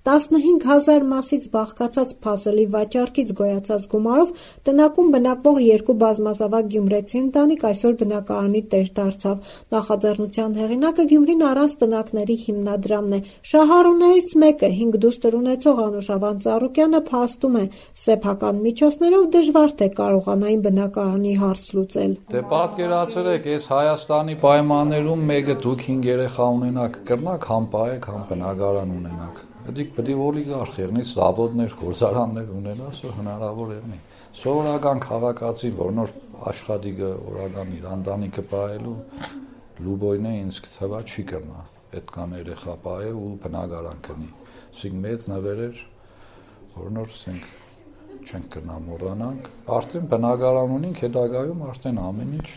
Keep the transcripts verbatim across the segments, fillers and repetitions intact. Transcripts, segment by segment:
տասնհինգ հազար մասից բաղկացած փազլի վաճառքից գոյացած գումարով տնակում բնակվող երկու բազմազավակ գյումրեցի ընտանիք այսօր բնակարանի տեր դարձավ։ Նախաձեռնության հեղինակը Գյումրին առանց տնակների հիմնադրամն է։ Շահառուներից մեկը հինգ դուստր ունեցող Անուշավան Ծառուկյանը փաստում է, սեփական միջոցներով դժվար թե կարողանային բնակարանի հարց լուծել։ Դե պատկերացրեք, այս Հայաստանի պայմաններում մեկը դուք հինգ երեխա ունենաք, կրնակ համ պահեք, համ բնակարան ունենաք։ Դիք պետք է օլիգարխ եղնի, զավոդներ, գործարաններ ունենաս, որ հնարավոր եղնի։ Սովորական քաղաքացին, որ նոր աշխատի գը օրական իր ընտանիքը պահելու լուբոյն է ինձ թվա չի կրնա այդքան երեխա պահե ու բնակարան կնի։ Սինք մեծ նվերեր, որ նոր սենք չենք կրնա մոռանանք։ Արդեն բնակարան ունենք, հետագայում արդեն ամեն ինչ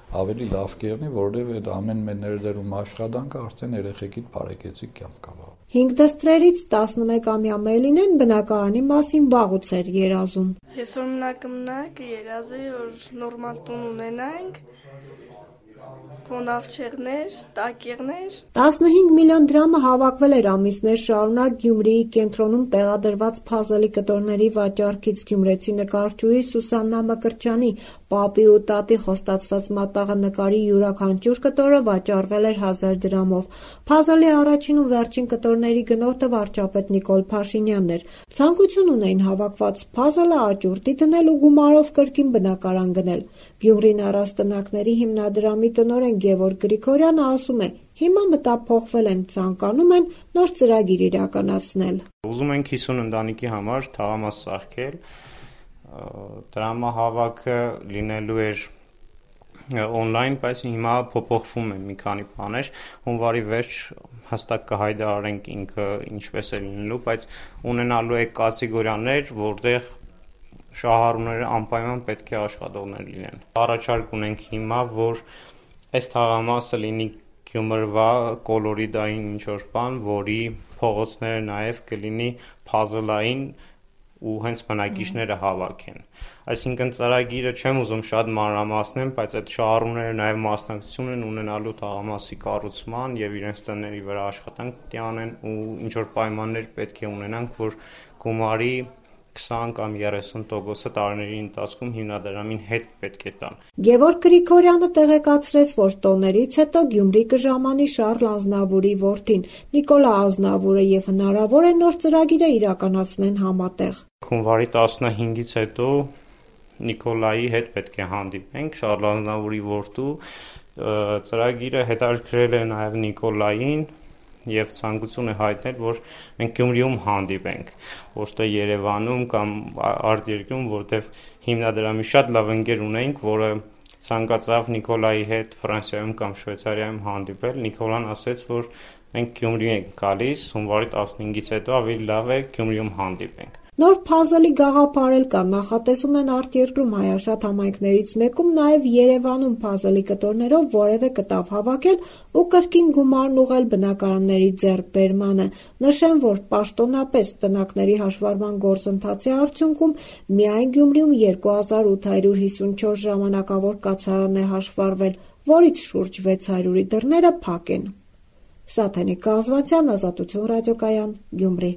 ավելի լավ կերնի, որովհետև այդ ամեն մեր ներդրում աշխատանքը արդեն երեխեքիդ բարեկեցիկ կյանք կավա։ Հինգ դստրերից տասնմեկամյա Մելինեն բնակարանի մասին վաղուց էր երազում։ Ես որ մնակմնակ երազի, որ նորմալ տուն ունենանք, կոնավչեղներ, տակեղներ։ տասնհինգ միլիոն դրամը հավաքվել էր ամիսներ շարունակ Գյումրիի կենտրոնում տեղադրված փազլի կտորների վաճառքից։ Գյումրեցի նկարչուհի Սուսաննա Մկրտչյանի պապի ու տատի խոստացված մատաղը նկարի յուրաքանչյուր կտորը վաճառվել էր հազար դրամով։ Փազլի առաջին ու վերջին կտորների գնորդը վարչապետ Նիկոլ Փաշինյանն էր։ Ցանկություն ունեին հավաքված փազլը աճուրդի դնել ու գումարով կրկին բնակարան գնել։ Գյումրին առանց տնակների հիմնադրամի տնօրեն Գևորգ Գրիգորյանը ասում է, հիմա մտափոխվել են, ցանկանում են նոր ծրագիր իրականացնել։ Ուզում ենք հիսուն ընտանիքի համար թաղամաս սարքել, դրամահավաքը լինելու էր օնլայն, բայց հիմա փոփոխվում է մի քանի բաներ, հունվարի վերջ հստակ կհայտարարենք ինքը ինչպես է լինելու, բայց ունենալու է կատեգորիաներ, որտեղ շահառուները անպայման պետք է աշխատողներ լինեն։ Առաջարկ ունենք հիմա, որ այս թաղամասը լինի Գյումրվա կոլորիդային ինչ-որ բան, որի փողոցները նաև կլինի փազլային ու հենց բնակիչները հավաքեն։ Այսինքն ծրագիրը չեմ ուզում շատ մանրամասնեմ, բայց այդ շահառուները նաև մասնակցություն են ունենալու թաղամասի կառուցման եւ իրենց տների վրա աշխատանք պետք է անեն ու ինչ-որ պայմաններ պետք է ունենանք, որ գումարի քսան կամ երեսուն տոկոսը տարիների ընթացքում հիմնադրամին հետ պետք է տան։ Գևորգ Գրիգորյանը տեղեկացրեց, որ տոներից հետո Գյումրի կժամանի Շառլ Ազնավուրի որդին Նիկոլա Ազնավուրը եւ հնարավոր է նոր ծրագիրը իրականացնեն համատեղ։ Հունվարի տասնհինգից հետո Նիկոլայի հետ պետք է հանդիպենք, Շառլ Ազնավուրի որդու ծրագիրը հետաքրքրել է նաեւ Նիկոլային եւ ցանկություն է հայտնել, որ մենք Գյումրիում հանդիպենք, որտեղ Երևանում կամ արտերկրում, որտեղ հիմնադրամի շատ լավ ընկեր ունենք, որը ցանկացավ Նիկոլայի հետ Ֆրանսիայում կամ Շվեյցարիայում հանդիպել։ Նիկոլան ասաց, որ մենք Գյումրի ենք գալիս, հունվարի տասնհինգից հետո ավելի լավ է Գյումրիում հանդիպենք։ Նոր փազլի գաղափար էլ կա, նախատեսում են արտերկրում հայաշատ համայնքներից մեկում նաև Երևանում փազլի կտորներով որևէ կտավ հավաքել ու կրկին գումարն ուղղել բնակարանների ձեռքբերմանը։ Նշեմ, որ պաշտոնապես տնակների հաշվառման գործընթացի արդյունքում միայն Գյումրիում երկու հազար ութ հարյուր հիսունչորս ժամանակավոր կացարան է հաշվառվել, որից շուրջ վեց հարյուրի դռները փակ են։ Սաթենիկ Կազվանցյան, Ազատություն ռադիոկայան, Գյումրի։